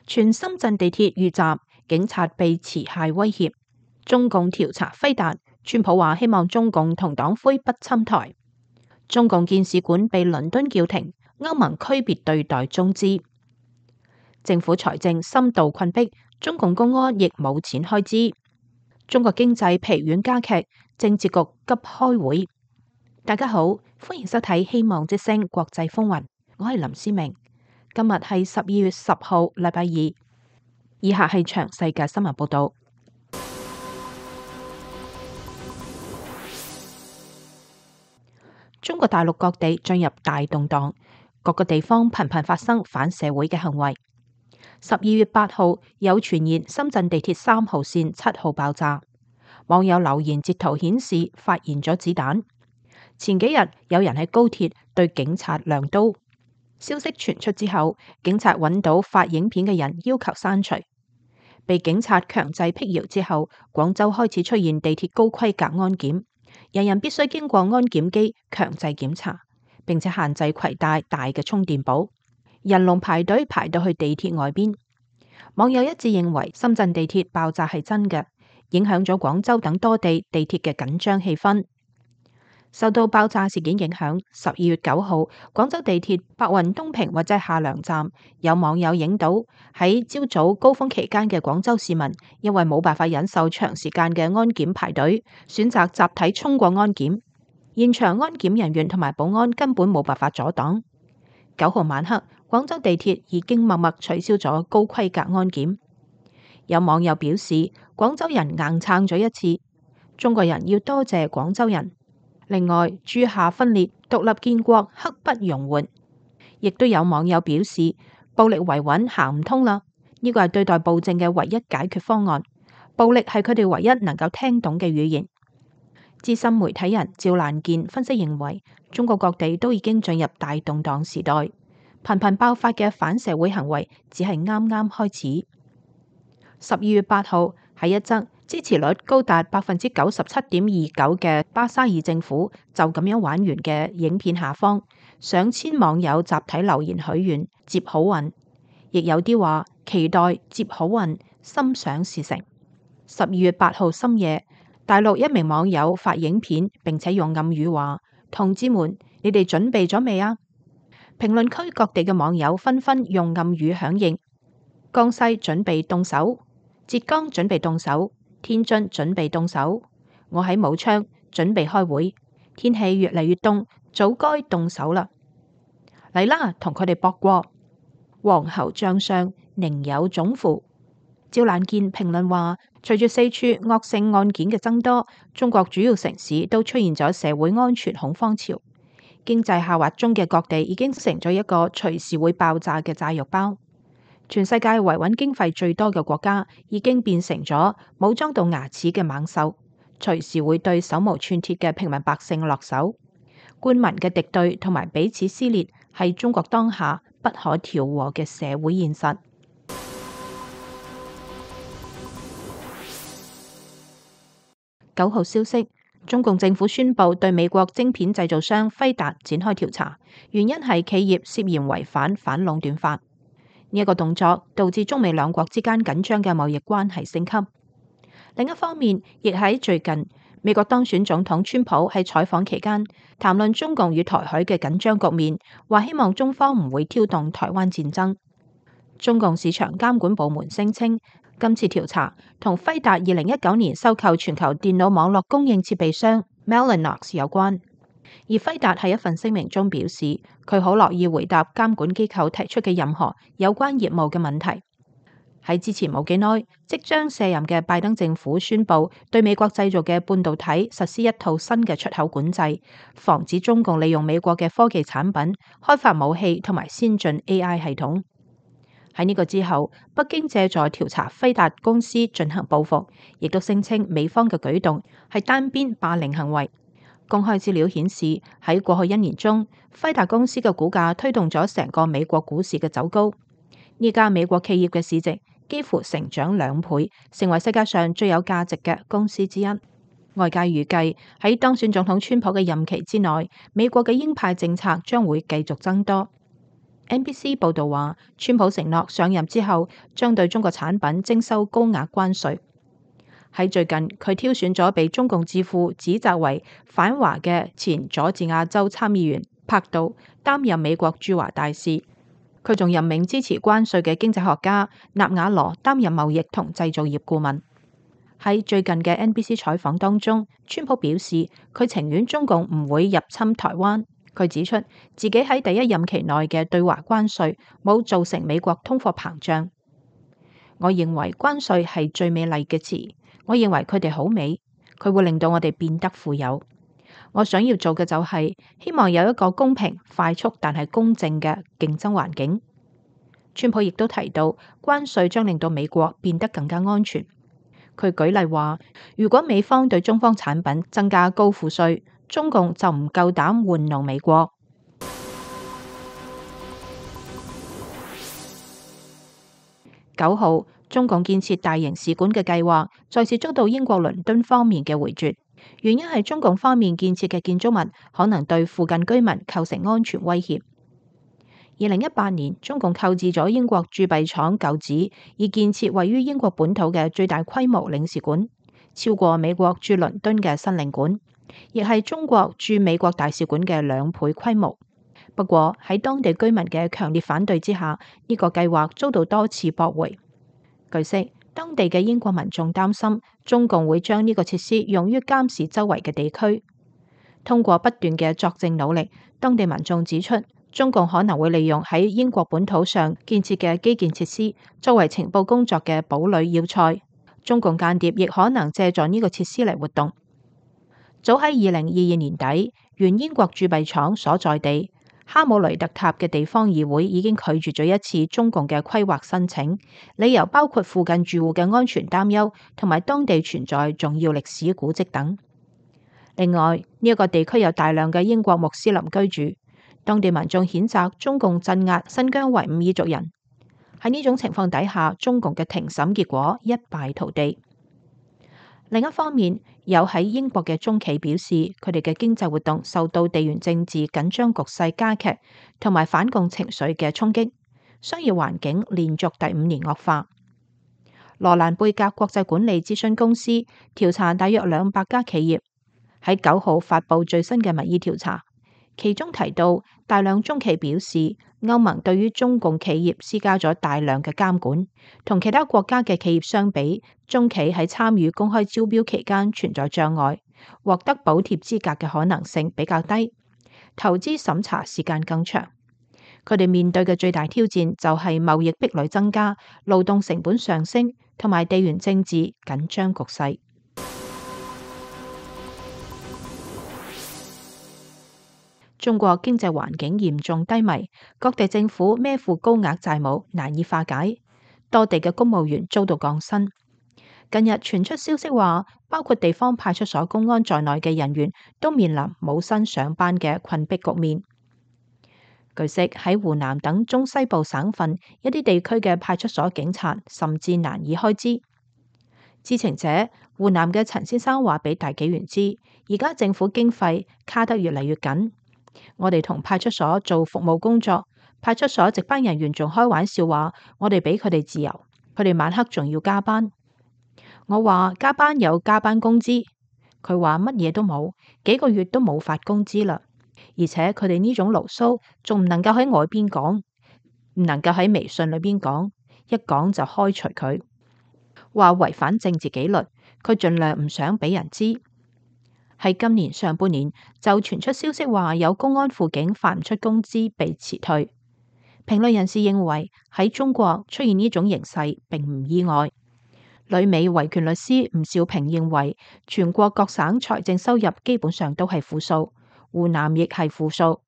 全深圳地鐵遇襲，警察被持械威脅。中共調查輝達，川普話希望中共同黨魁不侵台。中共建使館被倫敦叫停，歐盟區別對待中資。政府財政深度困迫，中共公安亦冇錢開支。中國經濟疲軟加劇，政治局急開會。大家好，歡迎收睇《希望之聲》國際風雲，我係林思明。今日係12月10號，禮拜二。以下係詳細嘅新聞報道。中國大陸各地進入大動盪，各個地方頻頻發生反社會嘅行為。12月8號有傳言深圳地鐵3號線7號爆炸，網友留言截圖顯示發現咗子彈。前幾日有人喺高鐵對警察亮刀，消息傳出之後，警察揾到發影片嘅人要求刪除。被警察強制辟謠之後，廣州開始出現地鐵高規格安檢，人人必須經過安檢機強制檢查，並且限制攜帶大嘅充電寶。人龍排隊排到去地鐵外邊，網友一致認為深圳地鐵爆炸係真嘅，影響咗廣州等多地地鐵嘅緊張氣氛。受到爆炸事件影響，12月9號廣州地鐵白雲東平或者下梁站，有網友影到喺朝早高峰期間嘅廣州市民，因為冇辦法忍受長時間嘅安檢排隊，選擇集體衝過安檢，現場安檢人員同埋保安根本冇辦法阻擋。9號晚黑，廣州地鐵已經默默取消咗高規格安檢。有網友表示，廣州人硬撐咗一次，中國人要多謝廣州人。另外，諸夏分裂，獨立建國刻不容緩。亦都有網友表示，暴力維穩行唔通啦，呢個係對待暴政嘅唯一解決方案。暴力係佢哋唯一能夠聽懂嘅語言。資深媒體人趙蘭健分析認為，中國各地都已經進入大動盪時代，頻頻爆發嘅反社會行為只係啱啱開始。12月8號喺一則支持率高達97.29%嘅巴沙爾政府就咁樣玩完嘅影片下方，上千網友集體留言許願接好運，亦有啲話期待接好運，心想事成。12月8號深夜，大陸一名網友發影片，並且用暗語話：同志們，你哋準備咗未啊？評論區各地嘅網友紛紛用暗語響應：江西準備動手，浙江準備動手，天津準備動手，我喺武昌準備開會。天氣越嚟越凍，早該動手啦！嚟啦，同佢哋搏過。黃喉將相，寧有種乎？趙蘭健評論話，隨住四處惡性案件嘅增多，中國主要城市都出現咗社會安全恐慌潮，經濟下滑中嘅各地已經成咗一個隨時會爆炸嘅炸藥包。全世界維穩經費最多嘅國家已經變成咗武裝到牙齒嘅猛獸，隨時會對手無寸鐵嘅平民百姓落手。官民嘅敵對同埋彼此撕裂係中國當下不可調和嘅社會現實。9號消息，中共政府宣布對美國晶片製造商輝達展開調查，原因係企業涉嫌違反反壟斷法。呢一個動作導致中美兩國之間緊張嘅貿易關係升級。另一方面，亦喺最近，美國當選總統川普喺採訪期間談論中共與台海嘅緊張局面，話希望中方唔會挑動台灣戰爭。中共市場監管部門聲稱，今次調查同輝達2019年收購全球電腦網絡供應設備商 Mellanox 有關。而輝達喺一份聲明中表示，佢好樂意回答監管機構提出嘅任何有關業務嘅問題。喺之前冇幾耐，即將卸任嘅拜登政府宣布對美國製造嘅半導體實施一套新嘅出口管制，防止中共利用美國嘅科技產品開發武器同埋先進 AI 系統。喺呢個之後，北京借助調查輝達公司進行報復，亦都聲稱美方嘅舉動係單邊霸凌行為。公開資料顯示，喺過去1年中，輝達公司嘅股價推動咗成個美國股市嘅走高。呢家美國企業嘅市值幾乎成長2倍，成為世界上最有價值嘅公司之一。外界預計喺當選總統川普嘅任期之內，美國嘅鷹派政策將會繼續增多。NBC 報導話，川普承諾上任之後將對中國產品徵收高額關稅。喺最近，佢挑選咗被中共智庫指責為反華嘅前佐治亞州參議員柏杜擔任美國駐華大使。佢仲任命支持關稅嘅經濟學家納瓦羅擔任貿易同製造業顧問。喺最近嘅 NBC 採訪當中，川普表示佢情願中共唔會入侵台灣。佢指出自己喺第一任期內嘅對華關稅冇造成美國通貨膨脹。我認為關稅係最美麗嘅詞，我認為佢哋好美，佢會令到我哋變得富有。我想要做嘅就係希望有一個公平、快速但係公正嘅競爭環境。川普亦都提到關稅將令到美國變得更加安全。佢舉例話，如果美方對中方產品增加高賦稅，中共就唔夠膽玩弄美國。9號，中共建設大型使館嘅計劃再次遭到英國倫敦方面嘅回絕，原因係中共方面建設嘅建築物可能對附近居民構成安全威脅。2018年，中共購置咗英國鑄幣廠舊址，以建設位於英國本土嘅最大規模領事館，超過美國駐倫敦嘅新領館，亦係中國駐美國大使館嘅2倍規模。不過喺當地居民嘅強烈反對之下，呢個計劃遭到多次駁回。據悉，當地嘅英國民眾擔心中共會將呢個設施用於監視周圍嘅地區。通過不斷嘅作證努力，當地民眾指出，中共可能會利用喺英國本土上建設嘅基建設施，作為情報工作嘅堡壘要塞。中共間諜亦可能借助呢個設施嚟活動。早喺2022年底，原英國鑄幣廠所在地哈姆雷特塔嘅地方議會已經拒絕咗一次中共嘅規劃申請，理由包括附近住戶嘅安全擔憂，同埋當地存在重要歷史古蹟等。另外，呢一個地區有大量嘅英國穆斯林居住，當地民眾譴責中共鎮壓新疆維吾爾族人。喺呢種情況底下，中共嘅庭審結果一敗塗地。另一方面，有喺英國嘅中企表示，佢哋嘅經濟活動受到地緣政治緊張局勢加劇同埋反共情緒嘅衝擊，商業環境連續第5年惡化。羅蘭貝格國際管理諮詢公司調查大約200家企業，喺9號發布最新嘅民意調查，其中提到大量中企表示，歐盟對於中共企業施加咗大量嘅監管，同其他國家嘅企業相比，中企喺參與公開招標期間存在障礙，獲得補貼資格嘅可能性比較低，投資審查時間更長。佢哋面對嘅最大挑戰就係貿易壁壘增加、勞動成本上升同埋地緣政治緊張局勢。中國經濟環境嚴重低迷，各地政府孭負高額債務難以化解，多地嘅公務員遭到降薪。近日傳出消息話，包括地方派出所公安在內嘅人員都面臨冇薪上班嘅困迫局面。據悉，喺湖南等中西部省份，一啲地區嘅派出所警察甚至難以開支。知情者湖南嘅陳先生話俾大紀元知，而家政府經費卡得越嚟越緊。我哋同派出所做服務工作，派出所值班人員仲開玩笑話，我哋俾佢哋自由，佢哋晚黑仲要加班。我話加班有加班工資，佢話乜嘢都冇，幾個月都冇發工資啦。而且佢哋呢種牢騷仲唔能夠喺外邊講，唔能夠喺微信裏邊講，一講就開除佢，話違反政治紀律，佢盡量唔想俾人知。喺今年上半年就傳出消息話有公安輔警發唔出工資被辭退。評論人士認為喺中國出現呢種形勢並唔意外。旅美維權律師吳兆平認為，全國各省財政收入基本上都係負數，湖南亦係負數，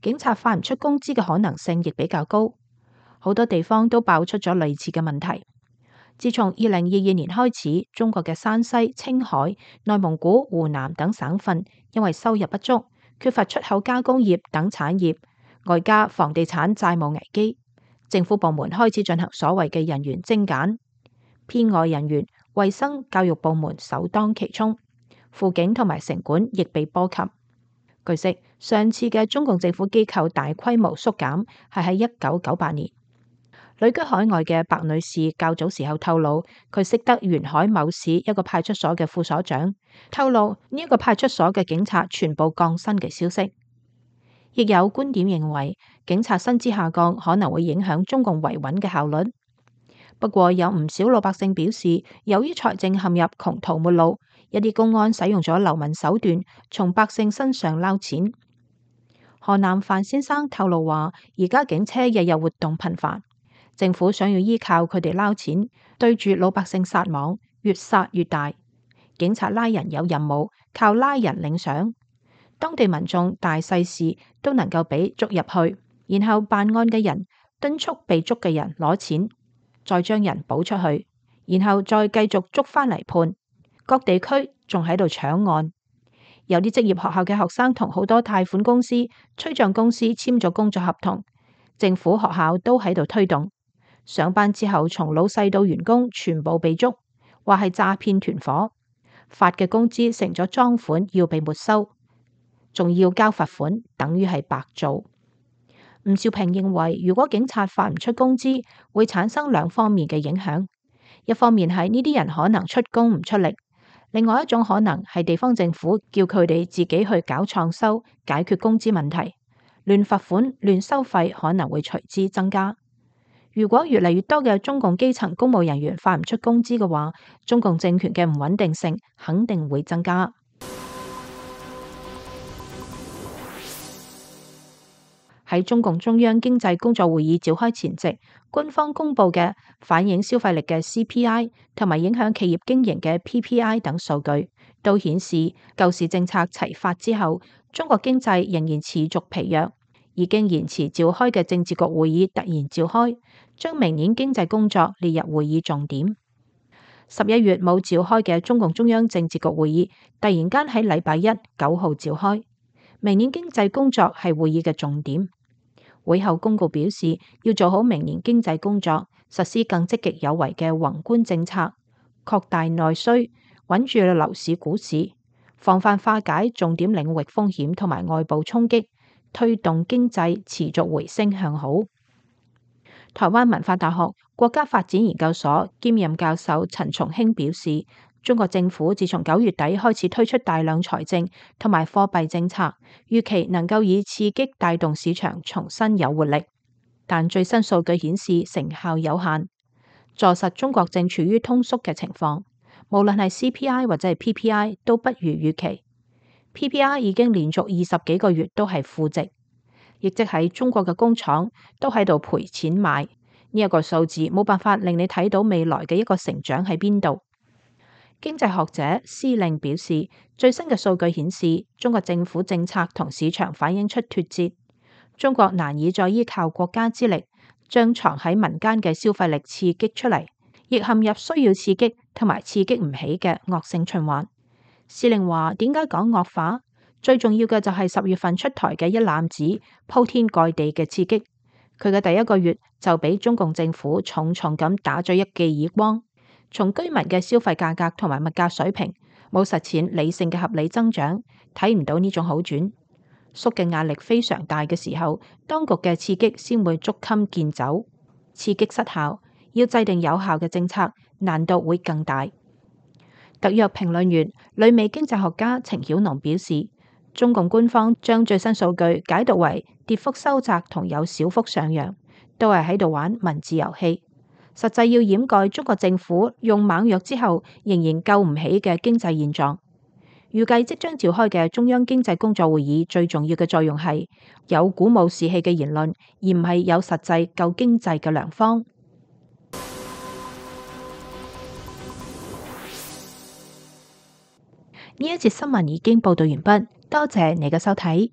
警察發唔出工資嘅可能性亦比較高。好多地方都爆出咗類似嘅問題。自從2022年開始，中國嘅山西、青海、內蒙古、湖南等省份因為收入不足，缺乏出口加工業等產業，外加房地產債務危機，政府部門開始進行所謂嘅人員精簡，編外人員、衛生、教育部門首當其衝，輔警同埋城管亦被波及。據悉，上次嘅中共政府機構大規模縮減係喺1998年。旅居海外嘅白女士較早時候透露，佢識得沿海某市一個派出所嘅副所長，透露呢一個派出所嘅警察全部降薪嘅消息。亦有觀點認為，警察薪資下降可能會影響中共維穩嘅效率。不過有唔少老百姓表示，由於財政陷入窮途末路，一啲公安使用咗流氓手段，從百姓身上撈錢。河南范先生透露話，而家警車日日活動頻繁，政府想要依靠佢哋撈錢，對住老百姓撒網，越撒越大。警察拉人有任務，靠拉人領賞，當地民眾大細事都能夠俾捉入去，然後辦案嘅人敦促被捉嘅人攞錢，再將人補出去，然後再繼續捉返嚟判。各地區仲喺度搶案，有啲職業學校嘅學生同好多貸款公司、催賬公司簽咗工作合同，政府學校都喺度推動。上班之後，從老細到員工全部被捉，話係詐騙團伙，發嘅工資成咗贓款要被沒收，仲要交罰款，等於係白做。吳兆平認為，如果警察發唔出工資，會產生兩方面嘅影響。一方面係呢啲人可能出工唔出力，另外一種可能係地方政府叫佢哋自己去搞創收，解決工資問題，亂罰款、亂收費可能會隨之增加。如果越嚟越多嘅中共基層公務人員發唔出工資嘅話，中共政權嘅唔穩定性肯定會增加。喺中共中央經濟工作會議召開前夕，官方公布嘅反映消費力嘅 CPI 同埋影響企業經營嘅 PPI 等數據，都顯示救市政策齊發之後，中國經濟仍然持續疲弱。已經延遲召開嘅政治局會議突然召開，將明年經濟工作列入會議重點。11月冇召開嘅中共中央政治局會議，突然間喺禮拜一9號召開，明年經濟工作係會議嘅重點。會後公告表示，要做好明年經濟工作，實施更積極有為嘅宏觀政策，擴大內需，穩住樓市股市，防範化解重點領域風險同埋外部衝擊，推動經濟持續回升向好。台灣文化大學國家發展研究所兼任教授陳松興表示，中國政府自從9月底開始推出大量財政同埋貨幣政策，預期能夠以刺激帶動市場重新有活力，但最新數據顯示成效有限，坐實中國正處於通縮嘅情況。無論係 CPI 或者係 PPI 都不如預期。PPI 已經連續20幾個月都係負值，亦即係中國嘅工廠都喺度賠錢買呢一個數字，冇辦法令你睇到未來嘅一個成長喺邊度。經濟學者施令表示，最新嘅數據顯示，中國政府政策同市場反映出脫節，中國難以再依靠國家之力將藏喺民間嘅消費力刺激出嚟，亦陷入需要刺激同埋刺激唔起嘅惡性循環。施令話：點解講惡化？最重要嘅就係10月份出台嘅一攬子鋪天蓋地嘅刺激，佢嘅第一個月就俾中共政府重重咁打咗一記耳光。從居民嘅消費價格同埋物價水平冇實踐理性嘅合理增長，睇唔到呢種好轉。縮嘅壓力非常大嘅時候，當局嘅刺激先會捉襟見肘。刺激失效，要制定有效嘅政策，難度會更大。特約評論員、旅美經濟學家程曉農表示，中共官方將最新數據解讀為跌幅收窄同有小幅上揚，都係喺度玩文字遊戲。實際要掩蓋中國政府用猛藥之後仍然救唔起嘅經濟現狀。預計即將召開嘅中央經濟工作會議最重要嘅作用係有鼓舞士氣嘅言論，而唔係有實際救經濟嘅良方。呢一節新聞已經報道完畢，多謝你嘅收睇。